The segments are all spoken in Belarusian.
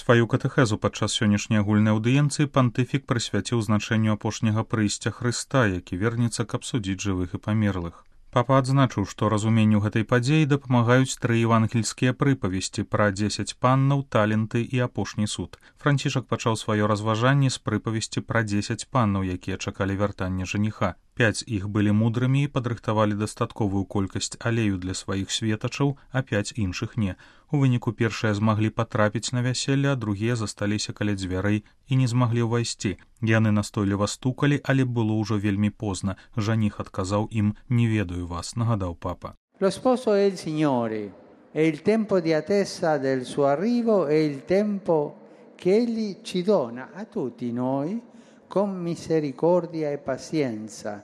Сваю катэхезу падчас сённяшняй агульнай аўдыенцыі пантыфік прысвяціў значэнню апошняга прыйсця Хрыста, які вернецца, каб судзіць жывых і памерлых. Папа адзначыў, што разуменню гэтай падзеі дапамагаюць 3 евангельскія прыпавесці пра 10 паннаў, таленты і апошні суд. Францішак пачаў сваё разважанне з прыпавесці пра 10 паннаў, якія чакалі вяртання жаніха. 5 іх былі мудрымі і падрыхтавалі дастатковую колькасць алею для сваіх светачаў, а 5 іншых не. У выніку першыя змаглі патрапіць на вяселле, а другія засталіся каля дзвярэй і не змаглі ўвайсці. Яны настойліва стукалі, але было ўжо вельмі позна. Жаніх адказаў ім: «Не ведаю вас», нагадаў папа. Lo sposo è il Signore, e il tempo di attesa del suo arrivo è il tempo che Egli ci dona a tutti noi con misericordia e pazienza,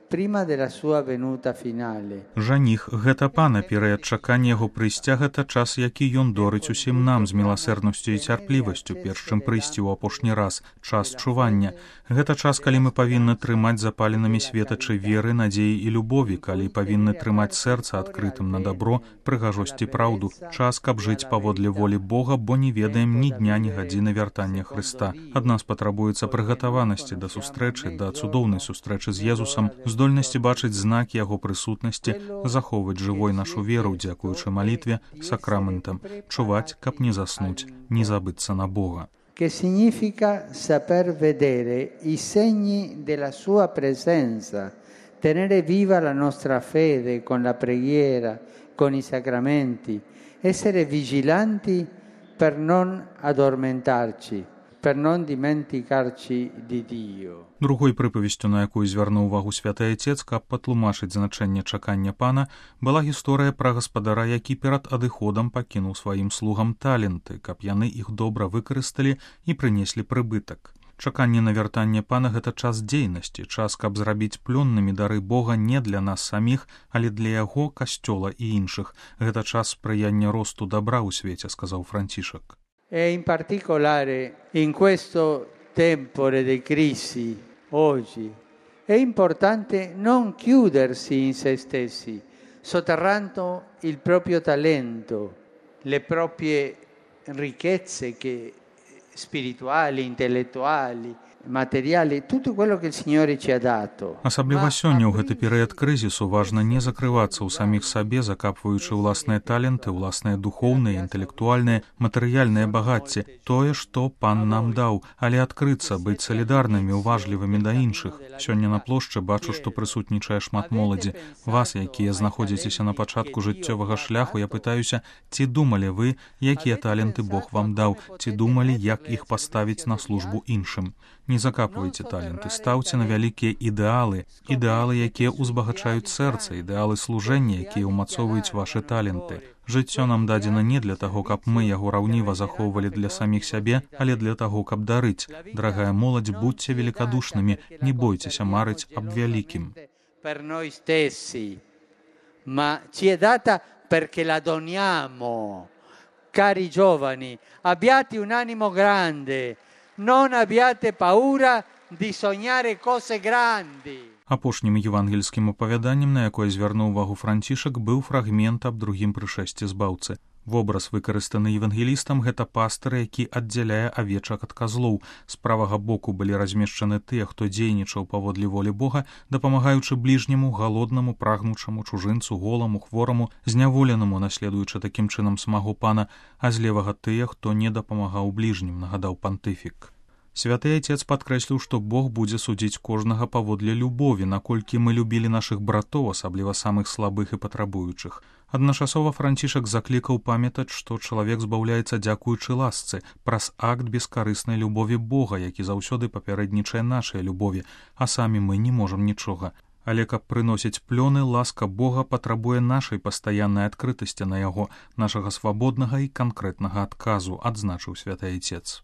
prima della sua venuta finale. Жаніх — гэта пана, перыяд чакання яго прыйсця — гэта час, які ён дорыць усім нам з міласэрнасцю і цярплівасцю, перш чым прыйсці ў апошні раз, час чування. Гэта час, калі мы павінны трымаць запаленымі светачы веры, надзеі і любові, калі павінны трымаць сэрца адкрытым на дабро, прыгажосць і праўду. Час, каб жыць паводле волі Бога, бо не ведаем ні дня, ні гадзіны вяртання Хрыста. Ад нас патрабуецца прыгатаванасці да сустрэчы, да цудоўнай сустрэчы з Езусам, здольнасці бачыць знакі яго прысутнасці, захоўваць жывой нашу веру, дзякуючы малітве, сакраментам, чуваць, каб не заснуць, не забыцца на Бога. Che significa saper vedere i segni della sua presenza, tenere viva la nostra fede con la preghiera, con i sacramenti, essere vigilanti per non addormentarci, per non dimenticarci di Dio. Другой прыпавесцю, на якую звярнуў увагу святы Айцец, каб патлумачыць значэнне чакання пана, была гісторыя пра гаспадара, які перад адыходам пакінуў сваім слугам таленты, каб яны іх добра выкарысталі і прынеслі прыбытак. Чаканне на вяртанне пана — гэта час дзейнасці, час, каб зрабіць плённымі дары Бога не для нас саміх, але для яго, касцёла і іншых. Гэта час спрыяння росту добра ў свеце, сказаў Францішак. E in particolare in questo tempore di crisi oggi è importante non chiudersi in se stessi, sotterrando il proprio talento, le proprie ricchezze spirituali, intellettuali, materiali, tutto quello che il Signore ci ha dato. Асабліва сёння ў гэты перыяд крызісу важна не закрывацца ў саміх сабе, закапваючы ўласныя таленты, ўласныя духоўныя, інтэлектуальныя, матэрыяльныя багацці, тое, што пан нам даў, але адкрыцца, быць салідарнымі, уважлівымі да іншых. Сёння на плошчы бачу, што прысутнічае шмат моладзі. Вас, якія знаходзіцеся на пачатку жыццёвага шляху, я пытаюся, ці думалі вы, якія таленты Бог вам даў, ці думалі, як іх паставіць на службу іншым. Не закапвайце таленты, стаўце на вялікія ідэалы, якія ўзбагачаюць сэрца, ідэалы служэння, якія ўмацоўваюць вашы таленты. Жыццё нам дадзена не для таго, каб мы яго раўніва захоўвалі для саміх сябе, але для таго, каб дарыць. Дарагая моладзь, будьце великодушнымі, не бойцеся марыць аб вялікім. Per noi stessi, ma ci è data perché la doniamo. Cari giovani, abbiate un animo grande. Non abbiate paura di sognare cose grandi. Апошнім евангельскім апавяданнем, на якое звярнуў увагу Францішак, быў фрагмент аб другім прышэсці збаўцы. Вобраз, выкарыстаны евангелістам, гэта пастыр, які аддзяляе авечак ад казлоў. З правага боку былі размешчаны тыя, хто дзейнічаў паводле волі Бога, дапамагаючы бліжняму, галоднаму, прагнучаму, чужынцу, голаму, хвораму, зняволенаму, наследуючы такім чынам смагу пана, а з левага тыя, хто не дапамагаў бліжнім, нагадаў пантыфік. Святы Айцец падкрэсліў, што Бог будзе судзіць кожнага паводле любові, наколькі мы любілі нашых братоў, асабліва самых слабых і патрабуючых. Адначасова Францішак заклікаў памятаць, што чалавек збаўляецца дзякуючы ласцы, праз акт бескарыснай любові Бога, які заўсёды папярэднічае нашай любові, а самі мы не можам нічога. Але каб прыносіць плёны, ласка Бога патрабуе нашай пастаяннай адкрытасці на яго, нашага свабоднага і канкрэтнага адказу, адзначыў святы Айцец.